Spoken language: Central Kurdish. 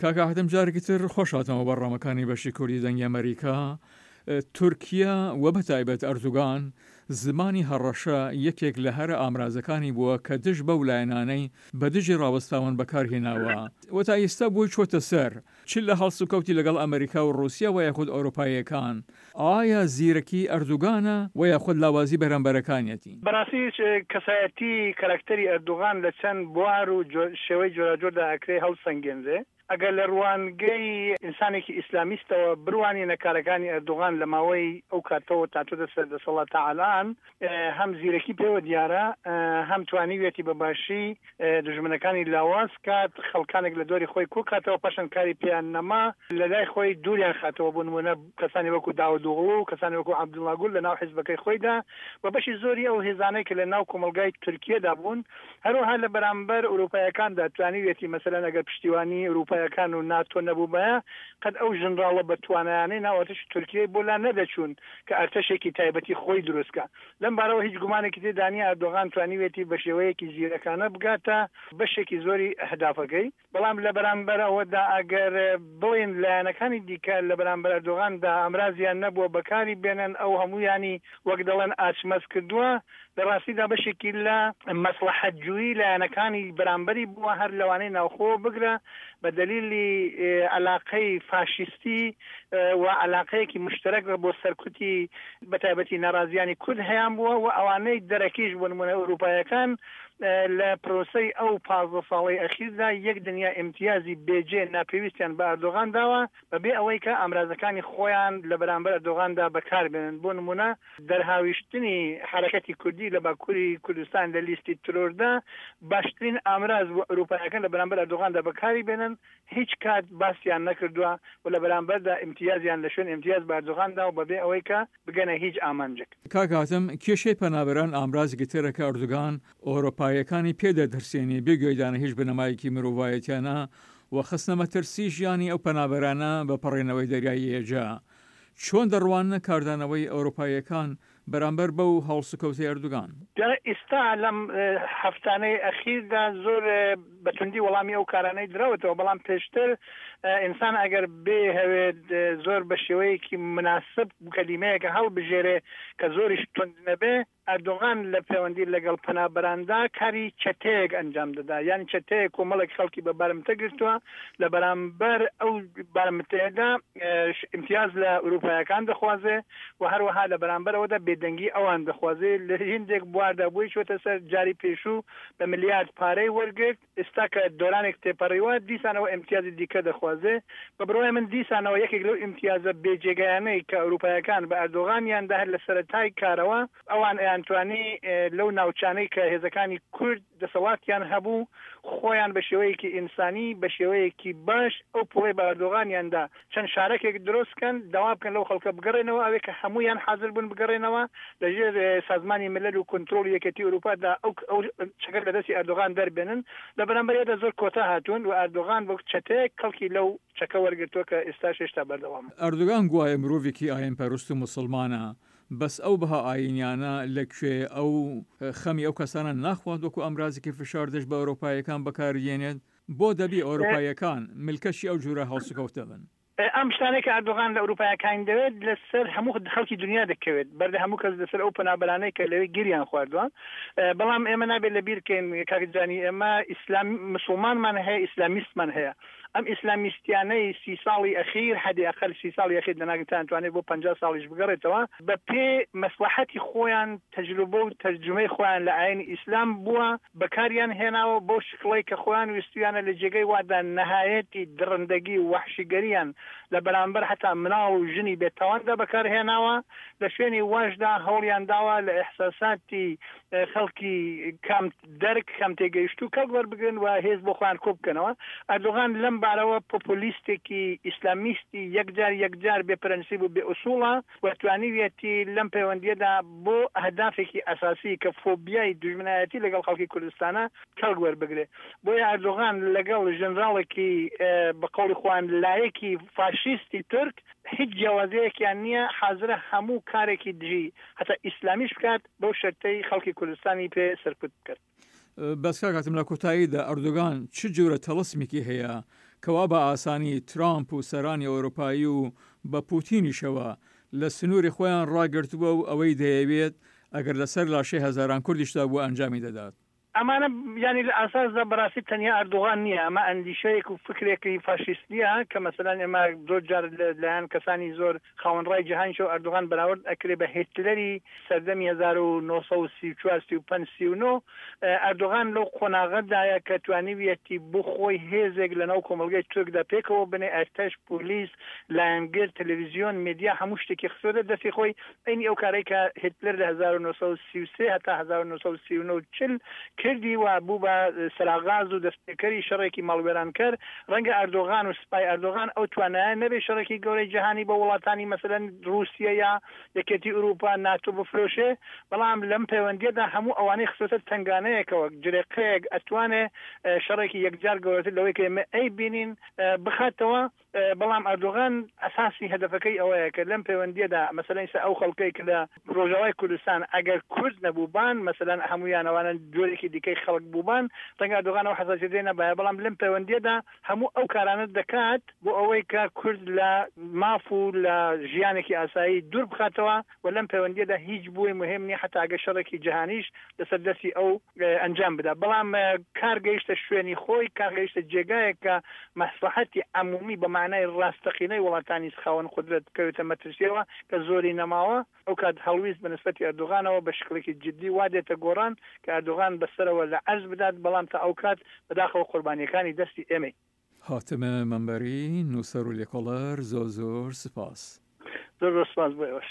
کاک ئاهدم جارێکی تر خۆش هاتنەوە بەرنامەکانی بەشی کوردی دەنگی ئەمەریکا. تورکیا و بە تایبەت ئەردوگان زمانی هەڕەشە یەکێک لە هەرە ئامرازەکانی بووە کە دژ بەو لایەنانەی بە دژی ڕاوەستاون بەکار هێناوە و تا ئیستا بۆی چۆتە سەر چ لە هەڵسوکەوتی لەگەڵ ئەمەریکا و ڕوسیا وە یاخود ئەوروپاییەکان. ئایا زیرەکی ئەردوگانە وە یاخود لاوازی بەرامبەرەکانیەتی؟ بەڕاستی کەسایەتی کەرەکتەری ئەردوغان لە چەند بوار و شێوەی جۆراوجۆردا ئەکرێ هەڵسەنگێنرێ. ئەگەر لە ڕوانگەی ئینسانێکی ئیسلامیستەوە بروانینە کارەکانی ئەردوغان لە ماوەی ئەو کاتەوە تا چۆتە سەر دەسەڵات تا ئەلئان هەم زیرەکی پێوە دیارە هەم توانیویەتی بە باشی دوژمنەکانی لاواز کات، خەڵکانێک لە دۆری خۆی کۆ کاتەوە پاشان کاری پێیان نەما لە لای خۆی دووریان خاتەوە بۆ نموونە کەسانی وەکوو داودئۆغڵو و کەسانی وەکوو عەبدوڵا گول لە ناو حیزبەکەی خۆیدا و بەشی زۆری ئەو هێزانەی کە لە ناو کۆمەڵگای تورکیەدا بوون هەروەها لە بەرامبەر ئورووپایەکاندا توانیویەتی مەسەلەن ئەگەر پشتیوانی ئورووپایەکان و ناتۆ نەبووبایە قەت ئەو ژنڕاڵە بە توانایانەی ناو ئەرتەشی تورکیەی بۆ لا نەدەچوون کە ئەرتەشێکی تایبەتی خۆی دروست کا. لەم بارەوە هیچ گومانێکی تێدا نییە ئەردۆغان توانیویەتی بە شێوەیەکی زیرەکانە بگاتە بەشێکی زۆری ئەهدافەکەی، بەڵام لە بەرامبەر ئەوەدا ئەگەر بڵێین لایەنەکانی دیکە لە بەرامبەر ئەردۆغاندا ئامرازیان نەبووە بەکاری بێنن، ئەو هەموویانی وەک دەڵێن ئاچمەز کردووە، لە ڕاستیدا بەشێکی لە مەسڵەحەتجوویی لایەنەکانی بەرامبەری بووە، هەر لەوانەی ناوخۆوە بگرە بە دەلیلی عەلاقەی فاشیستی و عەلاقەیەکی موشتەرەک بۆ سەرکوتی بەتایبەتی ناڕازیانی کورد هەیانبووە و ئەوانەی دەرەکیش بۆ نموونە ئورووپایەکان لە پرۆسەی ئەو 15 ساڵەی ئەخیردا یەک دنیا ئیمتیازی بێجێ ناپێویستیان بە ئەردۆغان داوە بە بێ ئەوەی کە ئامرازەکانی خۆیان لە بەرامبەر ئەردۆغاندا بەکار بێنن بۆ نموونە دەرهاویشتنی حەرەکەتی کوردی لە باکووری کوردستان لە لیستی ترۆردا باشترین ئامراز بوو ئورووپایەکان لە بەرامبەر ئەردۆغاندا بەکاری بێنن هیچ کات باسیان نەکردوە و لە بەرامبەردا ئیمتیازیان لە شوێن ئیمتیاز بە ئەردۆغان داوە بەبێ ئەوەی کە بگەنە هیچ ئامانجێک. کاک هاتم، کێشەی پەنابەران ئامرازێکی ترە کە ئەردۆگان ئۆرۆپاییەکانی پێ دەترسێنێ بێ گوێدانە هیچ بنەمایەکی مرۆڤایەتیانە و خستنە مەترسی ژیانی ئەو پەنابەرانە بە پەڕێنەوەی دەریای ئێجە. چۆن دەڕواننە کاردانەوەی ئەورۆپاییەکان بەرامبەر بەو هەڵسوکەوتەی ئەردوگان؟ جا ئیستا لەم هەفتانەی ئەخیردا زۆر بە توندی وەڵامی ئەو کارانەی دراوەتەوە، بەڵام پێشتر ئینسان ئەگەر بێهەوێت زۆر بە شێوەیەکی مناسب کەلیمەیەکە هەڵبژێرێ کە زۆریش توند نەبێ، ئەردۆغان لە پەیوەندی لەگەڵ پەنابەراندا کاری چەتەیەک ئەنجام دەدا، یان چەتەیەک کۆمەڵێک خەڵکی بە بارمتە گرتووە، لە بەرامبەر ئەو بارمتەیەدا ئیمتیاز لە ئورووپایەکان دەخوازێ و هەروەها لە بەرامبەر ئەوەدا بێدەنگی ئەوان دەخوازێ. لە هیندێک بواردا بۆی چووەتە سەر، جاری پێشوو بە ملیارد پارەی وەرگرت، ئێستا کە دۆرانێک تێپەڕیوە دیسانەوە ئیمتیازی دیکە دەخوازێ. بە بڕوای من دیسانەوە یەکێک لەو ئیمتیازە بێ جێگایانەی کە ئەوروپایەکان بە ئەردۆغانیان دا هەر لە سەرەتای کارەوە ئەوان ئەیانتوانی لەو ناوچانەی کە هێزەکانی کورد دەسەڵاتیان هەبوو خۆیان بە شێوەیەکی ئینسانی بە شێوەیەکی باش ئەو پوڵەی بە ئەردۆغانیان دا چەند شارەکێک درۆست کەن داوا بکەن لەو خەڵکە بگەڕێنەوە ئەوێ کە هەموویان حازر بوون بگەڕێنەوە لە ژێر سازمانی ملل و کونترۆڵی یەکێتی ئوروپا دا ئەو ئەو چەکە لە دەستی ئەردۆغان دەربێنن لە بەرامبەریدا زۆر کۆتا هاتوون و ئەردۆغان وەک چەتەیەک کەڵکی لەو چەکە وەرگرتووە کە ئێستاش هێشتا بەردەوامە. ئەردۆگان گوایە مرۆڤێکی ئاینپەرست و موسڵمانە، بەس ئەو بەها ئاینیانە لە کوێ؟ ئەو خەمی ئەو کەسانە ناخوات وەکو ئامرازێکی فشار دژ بە ئەورۆپاییەکان بەکاریدێنێت؟ بۆ دەبی ئەوروپاییەکان ملکەچی ئەو جورە هەڵسوکەوتە بن؟ ئەم شتانەی کە ئەردۆغان لە ئەوروپایەکانی دەوێت لە سەر هەموو خەڵکی دونیا دەکەوێت، بەردە هەموو کەس لەسەر ئەو پەنابەرانەی کە لەوێ گیریان خواردوە. بەڵام ئێمە نابێت لە بیر کەین کاک جانی ئێمە ئیسلام مسوڵمانمان هەیە ئیسلامیستمان هەیە. ئەم ئیسلامیستیانەی سی ساڵی ئەخیر حەدی ئەقەل سی ساڵی ئەخیر دەنا تانتوانێت بۆ 50 ساڵیش بگەڕێتەوە بە پێ مەسڵەحەتی خۆیان تەجروبە و تەرجومەی خۆیان لە ئاینی ئیسلام بووە بەکاریان هێناوە بەو شکڵەی کە خۆیان ویستویانە لە جێگەی وادا نەهایەتی دڕندەگی و وەحشیگەریان لە بەرامبەر هەتا مناڵ و ژنی بێ تاواندا بەکار هێناوە لە شوێنی واشدا هەوڵیان داوە لە ئیحساساتی خەڵکی کەم دەرک کەم تێگەیشتوو کەڵک وەربگرن و هێز بۆ خۆیان کۆ بکەنەوە. ئەردۆغان لەم بارەوە پۆپۆلیستێکی ئیسلامیستی یەکجار یەکجار بێ پرەنسیب و بێ ئوسوڵە و توانیویەتی لەم پەیوەندییەدا بۆ ئەهدافێکی ئەساسی کە فۆبیای دوژمنایەتی لەگەڵ خەڵکی کوردستانە کەڵک وەربگرێ. بۆیە ئەردۆغان لەگەڵ ژنراڵێکی بە قەوڵی خۆیان لایەکی فاشیستی تورک هیچ جیاوازییەکیان نییە، حازرە هەموو کارێکی دژی هەتا ئیسلامیش بکات بەو شەرتەی خەڵکی کوردستانی پێ سەرکوت بکەن. بەس کاک هاتم لە کۆتاییدا ئەردۆگان چ جۆرە تەڵسمێکی هەیە؟ کەوا بە ئاسانی ترامپ و سەرانی ئەوروپایی و بە پوتینیشەوە لە سنووری خۆیان ڕاگرتووە و ئەوەی دەیەوێت ئەگەر لەسەر لاشەی هەزاران کوردیشدا بووە ئەنجامی دەدات. ئەمانە یانی لە ئاساسدا بەڕاستی تەنیا ئەردۆغان نییە، ئەمە ئەندیشەیەک و فکرێکی فاشیستییە کە مەسەلەن ئێمە زۆر جار لە لایەن کەسانی زۆر خاوەن ڕای جیهانیشەوە ئەردۆغان بەراورد ئەکرێ بە هێتلەری سەردەمی 1934، 35، 39. ئەردۆغان لەو قۆناغەدایە کە توانیویەتی بۆ خۆی هێزێک لەناو کۆمەڵگەی تورکدا پێکەوە بنێ، ئەرتەش، پۆلیس، لایەنگر، تەلەڤیزیۆن، مێدیا هەموو شتێکی خستۆتە دەستی خۆی، عەینی ئەو کارەی کە هیتلەر لە 1933 هەتا 1939 و 40 کردی و بوو بە سەراغاز و دەستپێکەری شەڕێکی ماڵوێرانکەر، ڕەنگە ئەردۆغان و سپای ئەردۆغان ئەو توانایە نەبێ شەڕێکی گەورەی جیهانی بە وڵاتانی مەسەلەن ڕووسیە یا یەکێتی ئورووپا، ناتۆ بفرۆشێ، بەڵام لەم پەیوەندییەدا هەموو ئەوانەی خستۆتە تەنگانەیەکەوە، جرێقەیەک ئەتوانێ شەڕێکی یەکجار گەورەتر لەوەی کە ئێمە ئەیبینین بخاتەوە. بەڵام ئەردۆغان ئەساسی هەدەفەکەی ئەوەیە کە لەم پەیوەندییەدا مەسەلەن ئیستا ئەو خەڵکەی کە لە ڕۆژاوای کوردستان ئەگەر کورد نەبووبان مەسەلەن هەموویان ئەوانە جۆرێکی دیکەی خەڵک بووبان ڕەنگە ئەردۆغان ئەو حەساسیەتەی نەبایە بەڵام لەم پەیوەندییەدا هەموو ئەو کارانە دەکات بۆ ئەوەی کە کورد لە ماف و لە ژیانێکی ئاسایی دوور بخاتەوە و لەم پەیوەندییەدا هیچ بۆی موهیم نییە حەتا ئەگەر شەڕێکی جیهانیش لەسەر دەستی ئەو ئەنجام بدا بەڵام کار گەیشتە شوێنی خۆی، کار گەیشتە جێگایەک کە مەسڵەحەتی عەمومی بە مانای ڕاستەقینەی وڵاتانی خاوەن قودرەت بکەوێتە مەترسیەوە کە زۆری نەماوە، ئەوکات هەڵویست بە نسبەتی ئەردۆغانەوە بە شکڵێکی جدی وا دێتە گۆڕان کە ئەردۆغان بە سەرەوە لە عەرز بدات، بەڵام تا ئەوکات بەداخەوە قوربانیەکانی دەستی ئێمەین. هاتم مەنبەری، نووسەر و لێکۆڵەر، زۆر زۆر سپاس. زۆر زۆر سپاس بۆ ئێوەش.